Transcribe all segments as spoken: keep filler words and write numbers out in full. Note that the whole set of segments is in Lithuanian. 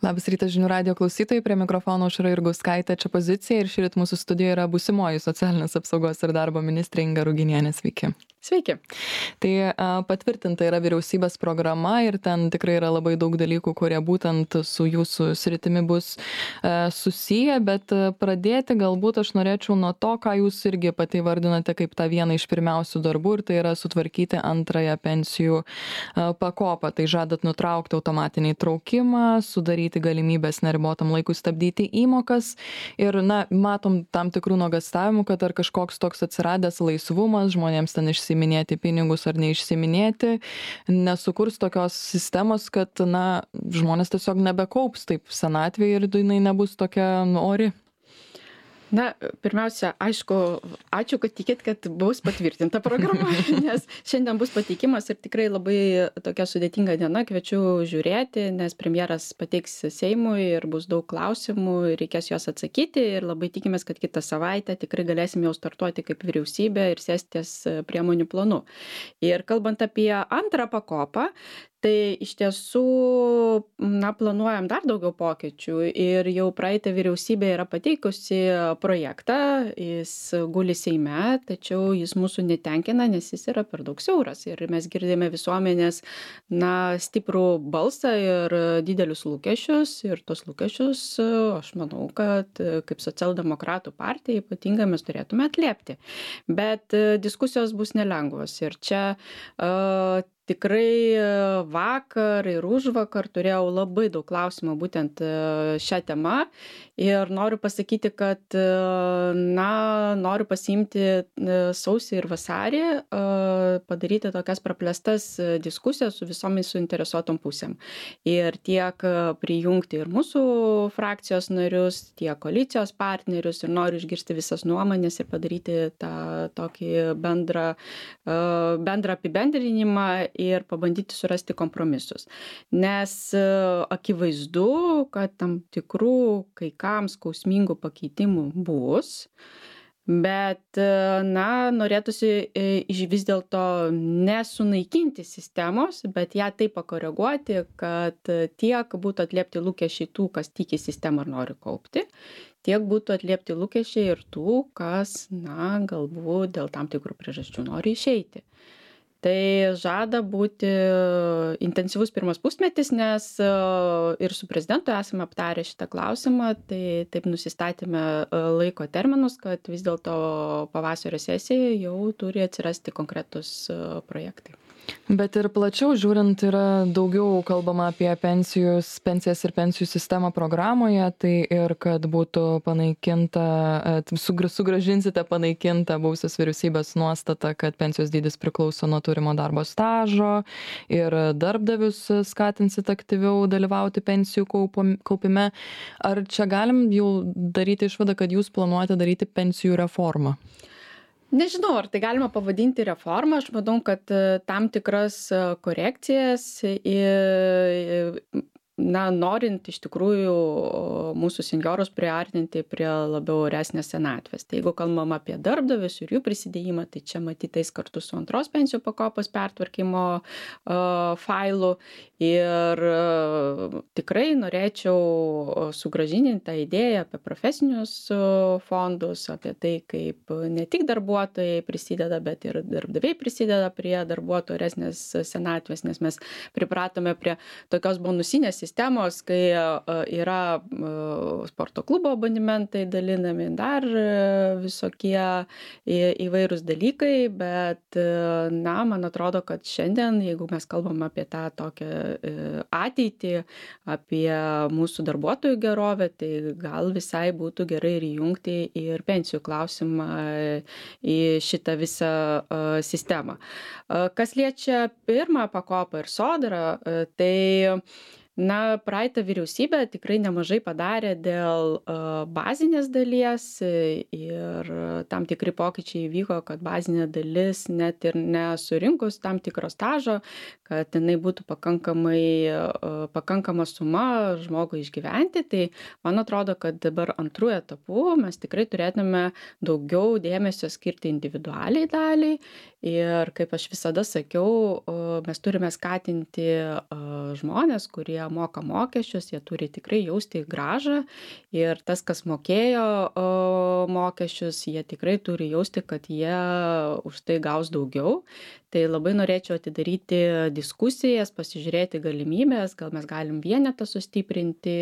Labas rytas žinių radio klausytojai, prie mikrofono Aušra Jurgauskaitė, čia pozicija ir šįryt mūsų studijoje yra būsimoji socialinės apsaugos ir darbo ministrė Inga Ruginienė. Sveiki. Sveiki. Tai a, patvirtinta yra vyriausybės programa ir ten tikrai yra labai daug dalykų, kurie būtent su jūsų sritimi bus a, susiję, bet a, pradėti galbūt aš norėčiau nuo to, ką jūs irgi pati vardinate kaip tą vieną iš pirmiausių darbų, ir tai yra sutvarkyti antrąją pensijų a, pakopą. Tai žadat nutraukti automatinį traukimą, sudaryti galimybės neribotam laikui stabdyti įmokas ir, na, matom tam tikrų nuogastavimų, kad ar kažkoks toks atsiradęs laisvumas žmonėms ten išsiminėti pinigus ar neišsiminėti, nesukurs tokios sistemos, kad, na, žmonės tiesiog nebekaups taip senatvėje ir jinai nebus tokia ori. Na, pirmiausia, aišku, ačiū, kad tikėt, kad bus patvirtinta programa, nes šiandien bus pateikimas ir tikrai labai tokia sudėtinga diena, kviečiu žiūrėti, nes premjeras pateiks Seimui ir bus daug klausimų, reikės juos atsakyti ir labai tikimės, kad kitą savaitę tikrai galėsim jau startuoti kaip vyriausybė ir sėstis priemonių planu. Ir kalbant apie antrą pakopą, tai iš tiesų, na, planuojam dar daugiau pokyčių ir jau praeitą vyriausybė yra pateikusi projektą, jis guli Seime, tačiau jis mūsų netenkina, nes jis yra per daug siauras ir mes girdime visuomenės, na, stiprų balsą ir didelius lūkesčius ir tos lūkesčius, aš manau, kad kaip socialdemokratų partija ypatingai mes turėtume atliepti. Bet diskusijos bus nelengvos ir čia uh, tikrai vakar ir užvakar turėjau labai daug klausimų būtent šią temą ir noriu pasakyti, kad, na, noriu pasiimti sausį ir vasarį, padaryti tokias praplėstas diskusijas su visomis suinteresuotom pusėm. Ir tiek prijungti ir mūsų frakcijos narius, tiek koalicijos partnerius ir noriu išgirsti visas nuomonės ir padaryti tą tokį bendrą, bendrą apibendrinimą ir pabandyti surasti kompromisus. Nes akivaizdu, kad tam tikrų kai kam skausmingų pakeitimų bus, bet, na, norėtųsi vis dėlto nesunaikinti sistemos, bet ją taip pakoreguoti, kad tiek būtų atliepti lūkesčiai tų, kas tiki sistemą ir nori kaupti, tiek būtų atliepti lūkesčiai ir tų, kas, na, galbūt dėl tam tikrų priežasčių nori išeiti. Tai žada būti intensyvus pirmas pusmetis, nes ir su prezidentu esame aptarę šitą klausimą, tai taip nusistatėme laiko terminus, kad vis dėlto pavasario sesijoje jau turi atsirasti konkretus projektai. Bet ir plačiau žiūrint yra daugiau kalbama apie pensijus, pensijas ir pensijų sistemą programoje, tai ir kad būtų panaikinta, sugražinsite panaikintą buvusios vyriausybės nuostatą, kad pensijos dydis priklauso nuo turimo darbo stažo ir darbdavius skatinsit aktyviau dalyvauti pensijų kaupime. Ar čia galim jau daryti išvadą, kad jūs planuojate daryti pensijų reformą? Nežinau, ar tai galima pavadinti reformą. Aš manau, kad tam tikras korekcijas, na, norint iš tikrųjų mūsų senjorus priartinti prie labiau oresnės senatvės. Tai jeigu kalbam apie darbdavius ir jų prisidėjimą, tai čia matytais kartu su antros pensijų pakopos pertvarkymo uh, failu. Ir uh, tikrai norėčiau sugrąžinti tą idėją apie profesinius uh, fondus, apie tai, kaip ne tik darbuotojai prisideda, bet ir darbdaviai prisideda prie darbuotojų oresnės senatvės, nes mes pripratome prie tokios bonusinės sistemos, kai yra sporto klubo abonementai dalinami, dar visokie įvairūs dalykai, bet, na, man atrodo, kad šiandien, jeigu mes kalbam apie tą tokią ateitį, apie mūsų darbuotojų gerovę, tai gal visai būtų gerai ir įjungti ir pensijų klausimą į šitą visą sistemą. Kas liečia pirmą pakopą ir sodrą, tai na, praeitą vyriausybę tikrai nemažai padarė dėl uh, bazinės dalies ir tam tikri pokyčiai įvyko, kad bazinė dalis net ir nesurinkus tam tikro stažo, kad jinai būtų pakankamai, uh, pakankama suma žmogui išgyventi. Tai man atrodo, kad dabar antrų etapų mes tikrai turėtume daugiau dėmesio skirti individualiai daliai ir, kaip aš visada sakiau, uh, mes turime skatinti uh, žmonės, kurie moka mokesčius, jie turi tikrai jausti grąžą ir tas, kas mokėjo mokesčius, jie tikrai turi jausti, kad jie už tai gaus daugiau. Tai labai norėčiau atidaryti diskusijas, pasižiūrėti galimybės, gal mes galim vienetą sustiprinti,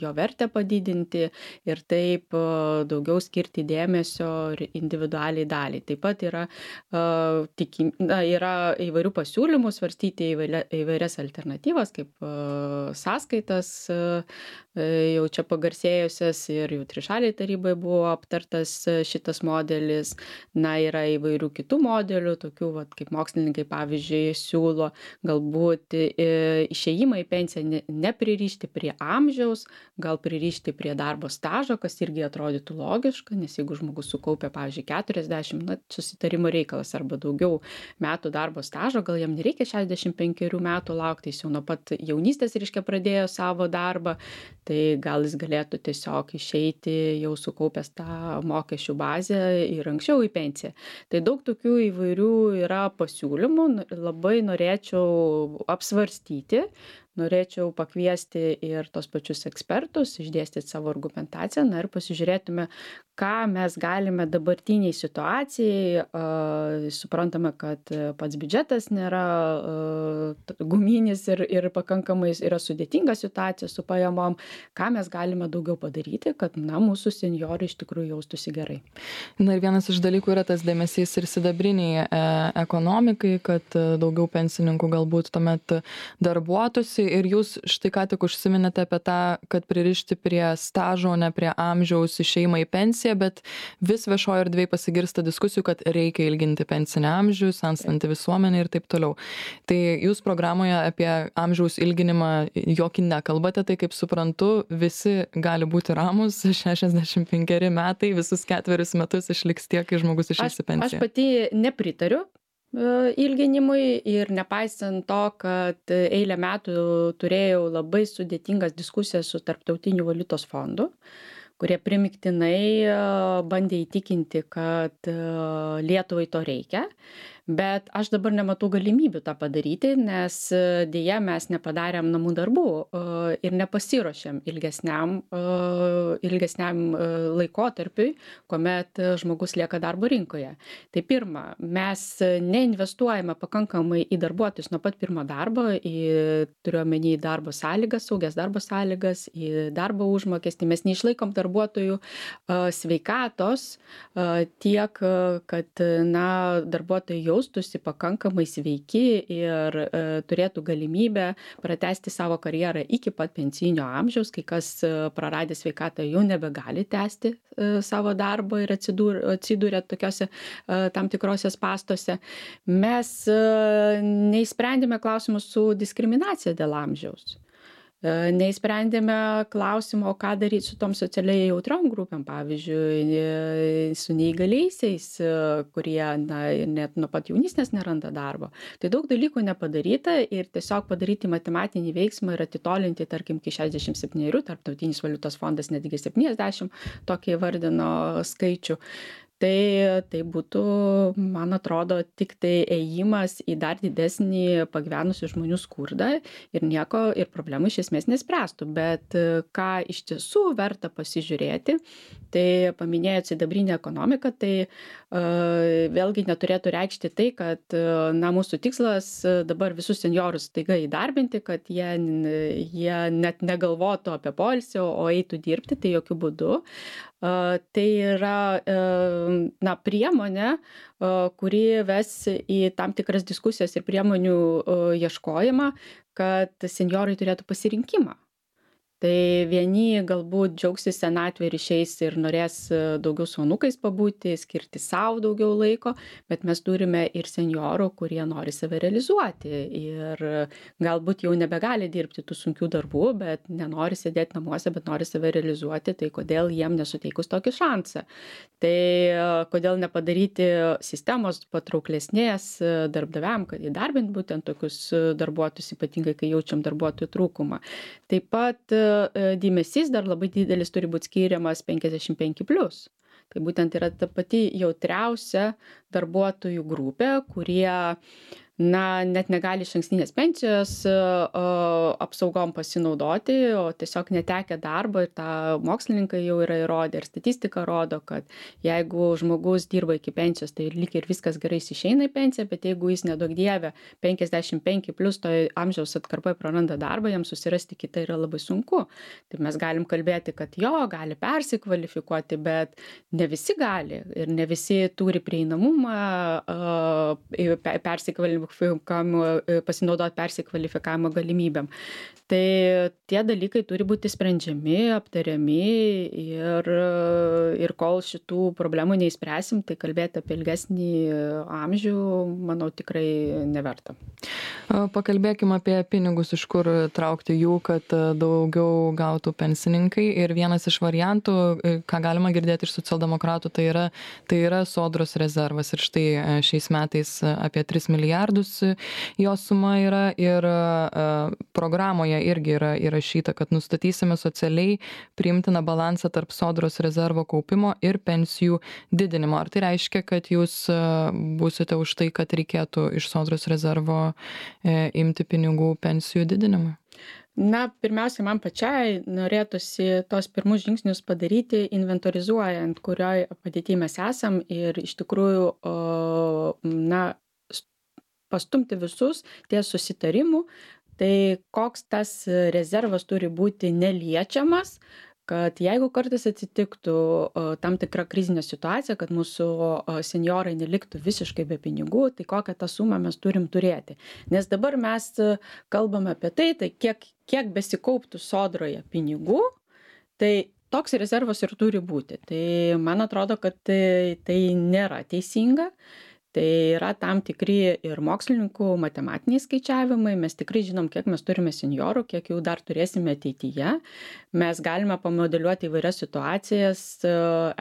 jo vertę padidinti ir taip daugiau skirti dėmesio individualiai daliai. Taip pat yra, tikim, na, yra įvairių pasiūlymų svarstyti įvairias alternatyvas, kaip sąskaitas, jau čia pagarsėjusias ir jau trišaliai tarybai buvo aptartas šitas modelis. Na, yra įvairių kitų modelių, tokių, vat, kaip mokslininkai, pavyzdžiui, siūlo galbūt išėjimą į pensiją nepririšti prie amžiaus, gal pririšti prie darbo stažo, kas irgi atrodytų logiška, nes jeigu žmogus sukaupia, pavyzdžiui, keturiasdešimt, na, susitarimo reikalas arba daugiau metų darbo stažo, gal jam nereikia šešiasdešimt penkerių metų laukti, jis jau nuo pat jaunystės, reiškia, pradėjo savo darbą, tai gal jis galėtų tiesiog išeiti jau sukaupęs tą mokesčių bazę ir anksčiau į pensiją. Tai daug tokių įvairių yra pasiūlymų, labai norėčiau apsvarstyti, norėčiau pakviesti ir tos pačius ekspertus, išdėstyti savo argumentaciją, na ir pasižiūrėtume, ką mes galime dabartiniai situacijai, uh, suprantame, kad pats biudžetas nėra uh, guminis ir, ir pakankamai yra sudėtinga situacija su pajamom, ką mes galime daugiau padaryti, kad, na, mūsų senjorai iš tikrųjų jaustųsi gerai. Na ir vienas iš dalykų yra tas dėmesys ir sidabriniai e, ekonomikai, kad daugiau pensininkų galbūt tuomet darbuotųsi ir jūs štai ką tik užsiminėte apie tą, kad pririšti prie stažo, ne prie amžiaus išėjimą į pensiją, bet vis viešoje erdvėje pasigirsta diskusijų, kad reikia ilginti pensinį amžių, senstanti visuomenė ir taip toliau. Tai jūs programoje apie amžiaus ilginimą jokį nekalbate, tai kaip suprantu, visi gali būti ramus, šešiasdešimt penkeri metai, visus ketverius metus išliks tiek, kai žmogus išeis į pensiją. Aš pati nepritariu ilginimui ir nepaisant to, kad eilę metų turėjau labai sudėtingas diskusijas su Tarptautiniu valiutos fondu, kurie primiktinai bandė įtikinti, kad Lietuvai to reikia. Bet aš dabar nematau galimybių tą padaryti, nes dėja mes nepadarėm namų darbų ir nepasiruošėm ilgesniam, ilgesniam laikotarpiui, kuomet žmogus lieka darbo rinkoje. Tai pirma, mes neinvestuojame pakankamai į darbuotojus nuo pat pirmo darbo, į, turiu omeny darbo sąlygas, saugias darbo sąlygas, į darbo užmokestį. Mes neišlaikom darbuotojų sveikatos tiek, kad, na, darbuotojai jau jaustųsi pakankamai sveiki ir e, turėtų galimybę pratęsti savo karjerą iki pat pensijinio amžiaus, kai kas e, praradę sveikatą jau nebegali tęsti e, savo darbo ir atsidūrė tokiuose e, tam tikrose spąstuose. Mes e, neįsprendėme klausimus su diskriminacija dėl amžiaus. Neįsprendėme klausimo, ką daryti su tom socialiai jautriom grupėm, pavyzdžiui, su neįgaliaisiais, kurie, na, net nuo pat jaunystės neranda darbo. Tai daug dalykų nepadaryta ir tiesiog padaryti matematinį veiksmą ir atitolinti, tarkim, iki šešiasdešimt septynerių, Tarptautinis valiutos fondas netgi septyniasdešimt tokį įvardino skaičių. Tai, tai būtų, man atrodo, tik tai ėjimas į dar didesnį pagyvenusių žmonių skurdą ir nieko, ir problemų iš esmės nespręstų. Bet ką iš tiesų verta pasižiūrėti, tai paminėjot sidabrinę ekonomiką, tai uh, vėlgi neturėtų reikšti tai, kad uh, na, mūsų tikslas dabar visus senjorus taiga įdarbinti, kad jie, jie net negalvotų apie poilsį, o eitų dirbti, tai jokių būdų. Uh, tai yra uh, na, priemonė, uh, kuri ves į tam tikras diskusijas ir priemonių uh, ieškojimą, kad senjorai turėtų pasirinkimą. Tai vieni galbūt džiaugsis senatvė ir išeis ir norės daugiau su anūkais pabūti, skirti savo daugiau laiko, bet mes turime ir senjorų, kurie nori save realizuoti ir galbūt jau nebegali dirbti tų sunkių darbų, bet nenori sėdėti namuose, bet nori save realizuoti, tai kodėl jiem nesuteikus tokį šansą. Tai kodėl nepadaryti sistemos patrauklesnės darbdaviam, kad įdarbint būtent tokius darbuotojus, ypatingai kai jaučiam darbuotojų trūkumą. Taip pat dėmesys dar labai didelis turi būti skiriamas penkiasdešimt penki plius. Tai būtent yra ta pati jautriausia darbuotojų grupė, kurie na, net negali išankstinės pensijos apsaugom pasinaudoti, o tiesiog netekę darbo ir tą mokslininkai jau yra įrodę ir statistika rodo, kad jeigu žmogus dirba iki pensijos, tai lyg ir viskas gerai jis išeina į pensiją, bet jeigu jis nedaug dievė penkiasdešimt penki plus to amžiaus atkarpai praranda darbą, jam susirasti kitą yra labai sunku. Tai mes galim kalbėti, kad jo, gali persikvalifikuoti, bet ne visi gali ir ne visi turi prieinamumą persikvalifikuoti pasinaudoti persikvalifikavimo galimybėm. Tai tie dalykai turi būti sprendžiami, aptariami ir, ir kol šitų problemų neįspręsim, tai kalbėti apie ilgesnį amžių, manau, tikrai neverta. Pakalbėkime apie pinigus, iš kur traukti jų, kad daugiau gautų pensininkai. Ir vienas iš variantų, ką galima girdėti iš socialdemokratų, tai yra, tai yra sodros rezervas. Ir štai šiais metais apie tris milijardus jo suma yra ir programoje irgi yra įrašyta, kad nustatysime socialiai priimtiną balansą tarp sodros rezervo kaupimo ir pensijų didinimo. Ar tai reiškia, kad jūs būsite už tai, kad reikėtų iš sodros rezervo imti pinigų pensijų didinimui? Na, pirmiausia, man pačiai norėtųsi tos pirmus žingsnius padaryti, inventorizuojant, kurioje padėtyje mes esam ir iš tikrųjų, na, pastumti visus ties susitarimų, tai koks tas rezervas turi būti neliečiamas, kad jeigu kartais atsitiktų tam tikra krizinė situacija, kad mūsų senjorai neliktų visiškai be pinigų, tai kokią tą sumą mes turim turėti. Nes dabar mes kalbame apie tai, tai kiek, kiek besikauptų sodroje pinigų, tai toks rezervas ir turi būti. Tai man atrodo, kad tai, tai nėra teisinga. Tai yra tam tikri ir mokslininkų matematiniai skaičiavimai, mes tikrai žinom, kiek mes turime senjorų, kiek jų dar turėsime ateityje. Mes galime pamodeliuoti įvairias situacijas,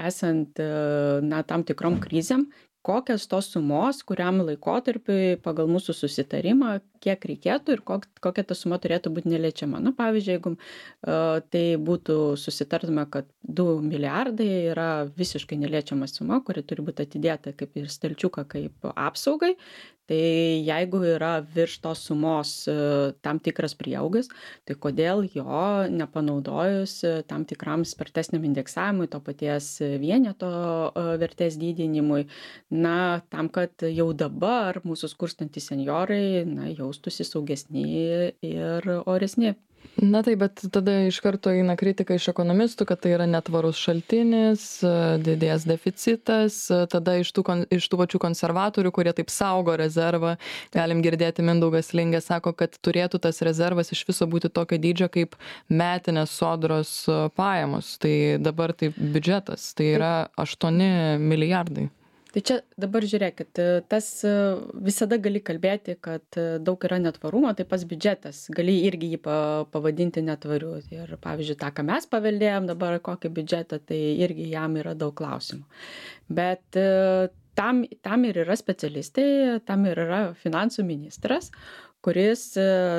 esant na, tam tikrom krizėm, kokias tos sumos, kuriam laikotarpiui pagal mūsų susitarimą, kiek reikėtų ir kokia ta suma turėtų būti neliečiama. Nu, pavyzdžiui, jeigu uh, tai būtų susitartume, kad du milijardai yra visiškai neliečiama suma, kuri turi būti atidėta kaip ir stalčiuką kaip apsaugai, tai jeigu yra virš tos sumos uh, tam tikras prieaugis, tai kodėl jo nepanaudojus uh, tam tikram spartesniam indeksavimui, to paties vieneto uh, vertės didinimui, na, tam, kad jau dabar mūsų skurstantys senjorai, na, jaustųsi saugesni ir oresni. Na taip, bet tada iš karto eina kritika iš ekonomistų, kad tai yra netvarus šaltinis, didės deficitas, tada iš tų, iš tų pačių konservatorių, kurie taip saugo rezervą, galim girdėti, Mindaugas Lingė sako, kad turėtų tas rezervas iš viso būti tokio dydžio kaip metinės sodros pajamos. Tai dabar tai biudžetas, tai yra aštuoni milijardai. Tai čia dabar žiūrėkit, tas visada gali kalbėti, kad daug yra netvarumo, tai pas biudžetas, gali irgi jį pavadinti netvariu. Ir pavyzdžiui, tą, ką mes paveldėjom dabar, kokį biudžetą, tai irgi jam yra daug klausimų. Bet tam, tam ir yra specialistai, tam ir yra finansų ministras, kuris,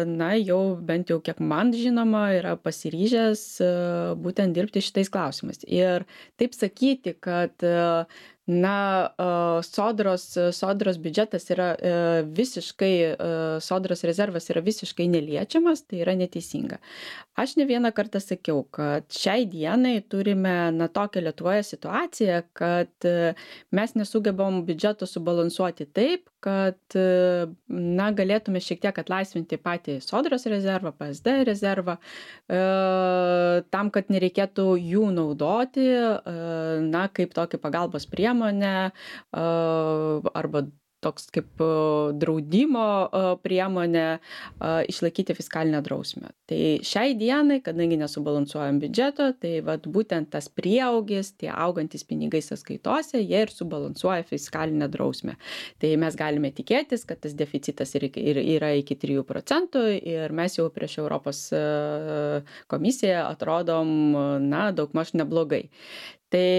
na, jau bent jau kiek man žinoma, yra pasiryžęs būtent dirbti šitais klausimais. Ir taip sakyti, kad na, sodros, sodros biudžetas yra visiškai, sodros rezervas yra visiškai neliečiamas, tai yra neteisinga. Aš ne vieną kartą sakiau, kad šiai dienai turime na, tokią Lietuvoje situaciją, kad mes nesugebam biudžeto subalansuoti taip, kad na, galėtume šiek tiek atlaisvinti patį sodros rezervą, P S D rezervą, tam, kad nereikėtų jų naudoti, na, kaip tokį pagalbos priemonę arba toks kaip draudimo priemonė išlaikyti fiskalinę drausmę. Tai šiai dienai, kadangi nesubalansuojam biudžeto, tai vat, būtent tas prieaugis, tie augantys pinigai sąskaitose, jie ir subalansuoja fiskalinę drausmę. Tai mes galime tikėtis, kad tas deficitas yra iki trijų procentų ir mes jau prieš Europos komisiją atrodom, na, daugmaž neblogai. Tai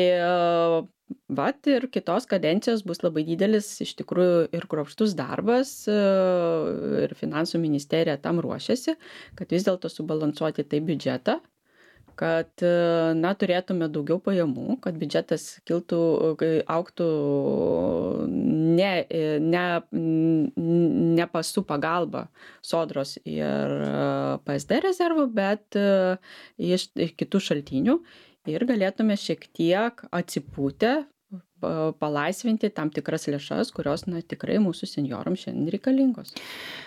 vat ir kitos kadencijos bus labai didelis iš tikrųjų ir kruopštus darbas ir finansų ministerija tam ruošiasi, kad vis dėlto subalansuoti tai biudžetą, kad, na, turėtume daugiau pajamų, kad biudžetas kiltų, augtų ne, ne, ne pasų pagalba Sodros ir P S D rezervų, bet iš kitų šaltinių ir galėtume šiek tiek atsipūtę palaisvinti tam tikras lėšas, kurios, na, tikrai mūsų senjorams šiandien reikalingos.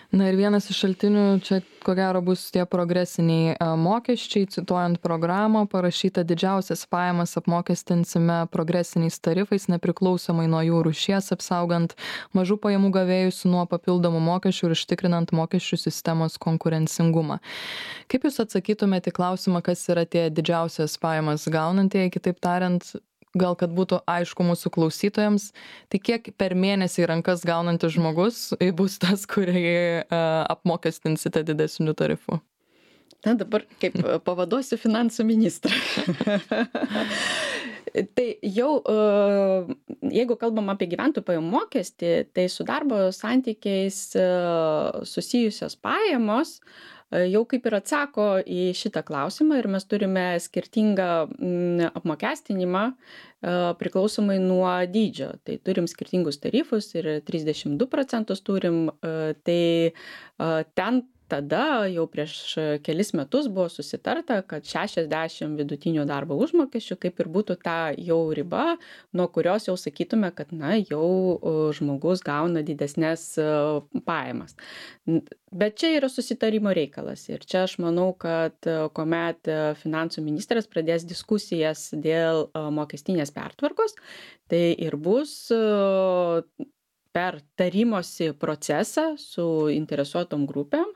Na ir vienas iš šaltinių čia, ko gero, bus tie progresiniai mokesčiai. Cituojant programą, parašyta: didžiausias pajamas apmokestinsime progresiniais tarifais, nepriklausomai nuo jų rūšies, apsaugant mažų pajamų gavėjus nuo papildomų mokesčių ir užtikrinant mokesčių sistemos konkurencingumą. Kaip Jūs atsakytumėte į klausimą, kas yra tie didžiausias pajamas gaunantieji, kitaip tariant, gal kad būtų aišku mūsų klausytojams, tai kiek per mėnesį į rankas gaunantis žmogus bus tas, kurį uh, apmokestinsite didesniu tarifu? Na, dabar kaip pavaduosiu finansų ministrą. Tai jau, jeigu kalbam apie gyventojų pajamų mokestį, tai su darbo santykiais susijusios pajamos jau kaip ir atsako į šitą klausimą ir mes turime skirtingą apmokestinimą priklausomai nuo dydžio. Tai turim skirtingus tarifus ir trisdešimt du procentus turim, tai ten tada jau prieš kelis metus buvo susitarta, kad šešiasdešimt vidutinio darbo užmokesčių kaip ir būtų ta jau riba, nuo kurios jau sakytume, kad, na, jau žmogus gauna didesnės pajamas. Bet čia yra susitarimo reikalas ir čia aš manau, kad kuomet finansų ministras pradės diskusijas dėl mokestinės pertvarkos, tai ir bus per tarimosi procesą su interesuotom grupėm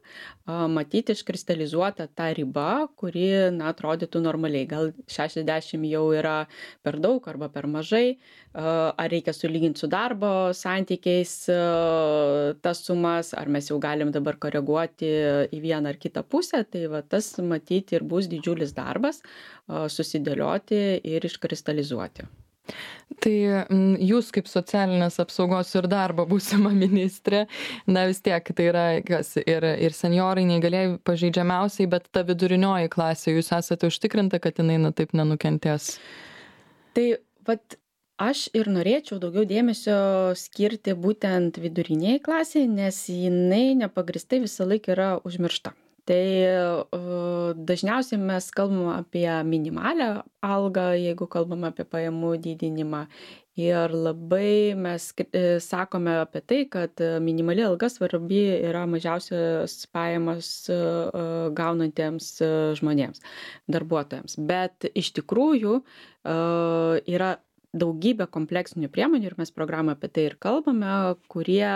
matyti iškristalizuota ta riba, kuri, na, atrodytų normaliai. Gal šešiasdešimt jau yra per daug arba per mažai, ar reikia sulyginti su darbo santykiais tas sumas, ar mes jau galim dabar koreguoti į vieną ar kitą pusę. Tai va, tas matyti ir bus didžiulis darbas susidėlioti ir iškristalizuoti. Tai jūs kaip socialinės apsaugos ir darbo būsima ministrė, na vis tiek tai yra kas, ir, ir senjorai, neįgalieji pažeidžiamiausiai, bet ta vidurinioji klasė, jūs esate užtikrinta, kad jinai, na, taip nenukentės? Tai vat aš ir norėčiau daugiau dėmesio skirti būtent viduriniai klasiai, nes jinai nepagristai visą laiką yra užmiršta. Tai dažniausiai mes kalbam apie minimalią algą, jeigu kalbam apie pajamų didinimą. Ir labai mes sakome apie tai, kad minimali alga svarbi yra mažiausias pajamas gaunantiems žmonėms, darbuotojams. Bet iš tikrųjų yra daugybė kompleksinių priemonių ir mes programą apie tai ir kalbame, kurie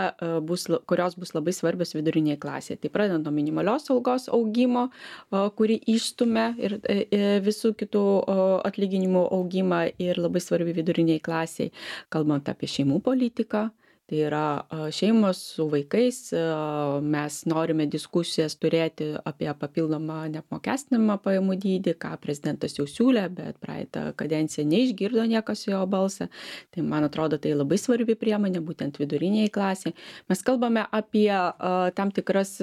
bus, kurios bus labai svarbios viduriniai klasėje. Tai pradedant nuo minimalios algos augimo, kuri išstumia ir visų kitų atlyginimų augimą ir labai svarbi viduriniai klasiai, kalbant apie šeimų politiką. Tai yra šeimos su vaikais, mes norime diskusijas turėti apie papildomą neapmokestinamą pajamų dydį, ką prezidentas jau siūlė, bet praeitą kadenciją neišgirdo niekas jo balsą. Tai man atrodo, tai labai svarbi priemonė, būtent viduriniai klasiai. Mes kalbame apie tam tikras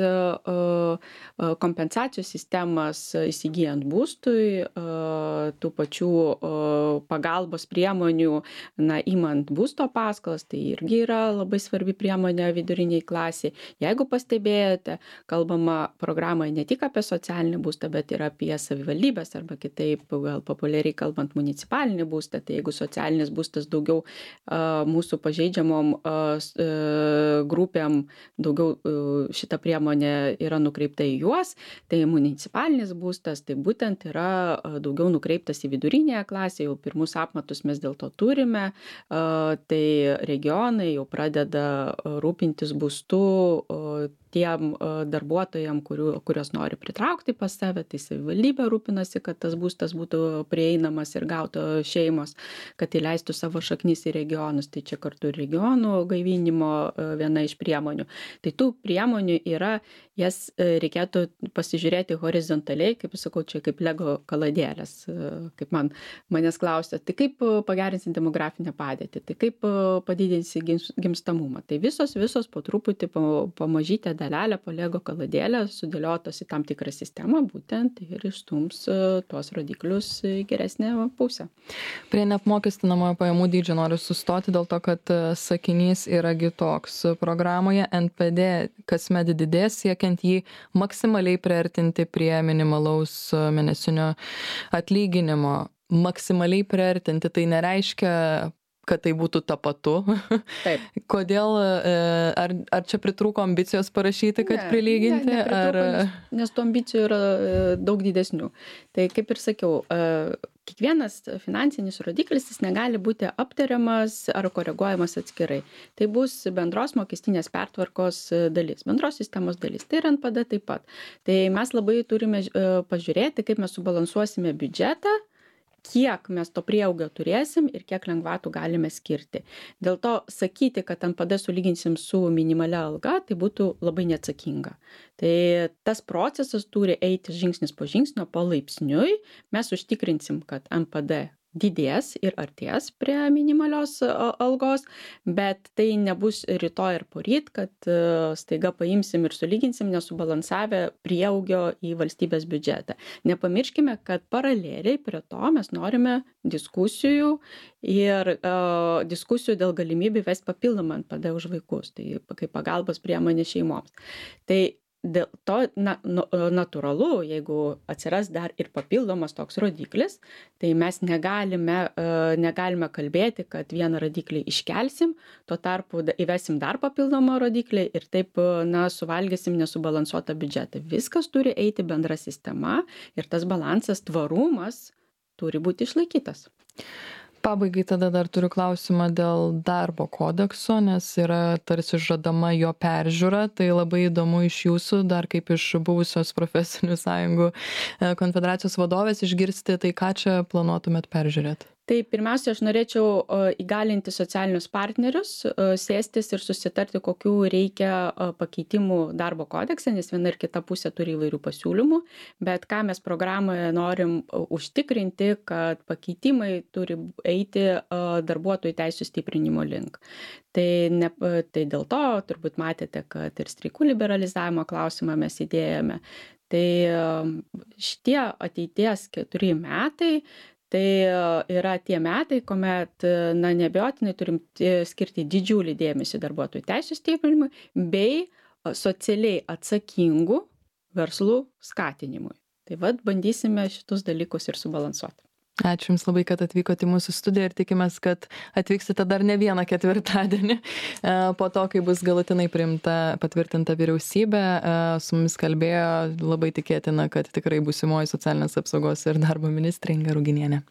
kompensacijų sistemas įsigijant būstui, tų pačių pagalbos priemonių, na, imant būsto paskolas, tai irgi yra labai svarbi priemonė viduriniai klasiai. Jeigu pastebėjote, kalbama programoje ne tik apie socialinį būstą, bet ir apie savivaldybės arba kitaip, gal populiariai kalbant, municipalinį būstą. Tai jeigu socialinis būstas daugiau uh, mūsų pažeidžiamom uh, grupėm, daugiau uh, šita priemonė yra nukreipta į juos, tai municipalinis būstas tai būtent yra uh, daugiau nukreiptas į vidurinėje klasėje, jau pirmus apmatus mes dėl to turime, uh, tai regionai jau pradeda pradeda rūpintis būstu tiem darbuotojam, kurių, kurios nori pritraukti pas save, tai savivaldybė rūpinasi, kad tas būstas būtų prieinamas ir gauto šeimos, kad įleistų savo šaknis į regionus. Tai čia kartu ir regionų gaivinimo viena iš priemonių. Tai tų priemonių yra, jas reikėtų pasižiūrėti horizontaliai, kaip sakau, čia kaip lego kaladėlės, kaip man manęs klausia, tai kaip pagerinsi demografinę padėtį, tai kaip padidinsi gimstamumą. Tai visos, visos po truputį pamažytę dalelę po lego kaladėlę sudėliotos į tam tikrą sistemą, būtent ir išstums tuos rodiklius į geresnę pusę. Prie neapmokestinamojo pajamų dydžio noriu sustoti dėl to, kad sakinys yragi toks. Programoje N P D kasmet didės, siekiant jį maksimaliai priartinti prie minimalaus mėnesinio atlyginimo. Maksimaliai priartinti, tai nereiškia, kad tai būtų tapatu. Taip. Kodėl, ar, ar čia pritrūko ambicijos parašyti, kad ne, prilyginti? Ne, ar... nes, nes tų ambicijų yra daug didesnių. Tai kaip ir sakiau, kiekvienas finansinis rodiklis jis negali būti aptariamas ar koreguojamas atskirai. Tai bus bendros mokestinės pertvarkos dalis, bendros sistemos dalis. Tai ir N P D taip pat. Tai mes labai turime pažiūrėti, kaip mes subalansuosime biudžetą, kiek mes to prieaugio turėsim ir kiek lengvatų galime skirti. Dėl to sakyti, kad N P D sulyginsim su minimalia alga, tai būtų labai neatsakinga. Tai tas procesas turi eiti žingsnis po žingsnio, palaipsniui. Mes užtikrinsim, kad N P D didės ir artės prie minimalios algos, bet tai nebus rytoj ir poryt, kad staiga paimsim ir sulyginsim nesubalansavę prieaugio į valstybės biudžetą. Nepamirškime, kad paraleliai prie to mes norime diskusijų ir uh, diskusijų dėl galimybių vesti papildomą N P D už vaikus, tai kaip pagalbos priemonė šeimoms. Tai dėl to na, natūralu, jeigu atsiras dar ir papildomas toks rodiklis, tai mes negalime, negalime kalbėti, kad vieną rodiklį iškelsim, tuo tarpu įvesim dar papildomą rodiklį ir taip na, suvalgysim nesubalansuotą biudžetą. Viskas turi eiti bendra sistema ir tas balansas, tvarumas turi būti išlaikytas. Pabaigai tada dar turiu klausimą dėl darbo kodekso, nes yra tarsi žadama jo peržiūra. Tai labai įdomu iš jūsų, dar kaip iš buvusios profesinių sąjungų konfederacijos vadovės išgirsti, tai ką čia planuotumėt peržiūrėti? Tai pirmiausia, aš norėčiau įgalinti socialinius partnerius, sėstis ir susitarti, kokių reikia pakeitimų darbo kodekse, nes viena ir kita pusė turi įvairių pasiūlymų, bet ką mes programoje norim užtikrinti, kad pakeitimai turi eiti darbuotojų teisų stiprinimo link. Tai, ne, tai dėl to turbūt matėte, kad ir streikų liberalizavimo klausimą mes įdėjome. Tai šitie ateities keturi metai, tai yra tie metai, kuomet, na, neabejotinai turim skirti didžiulį dėmesį darbuotojų teisų stiprinimui bei socialiai atsakingų verslų skatinimui. Tai vad bandysime šitus dalykus ir subalansuoti. Ačiū Jums labai, kad atvykote į mūsų studiją ir tikimės, kad atvyksite dar ne vieną ketvirtadienį po to, kai bus galutinai priimta, patvirtinta vyriausybė. Su mumis kalbėjo, labai tikėtina, kad tikrai būsimoji socialinės apsaugos ir darbo ministrė Inga Ruginienė.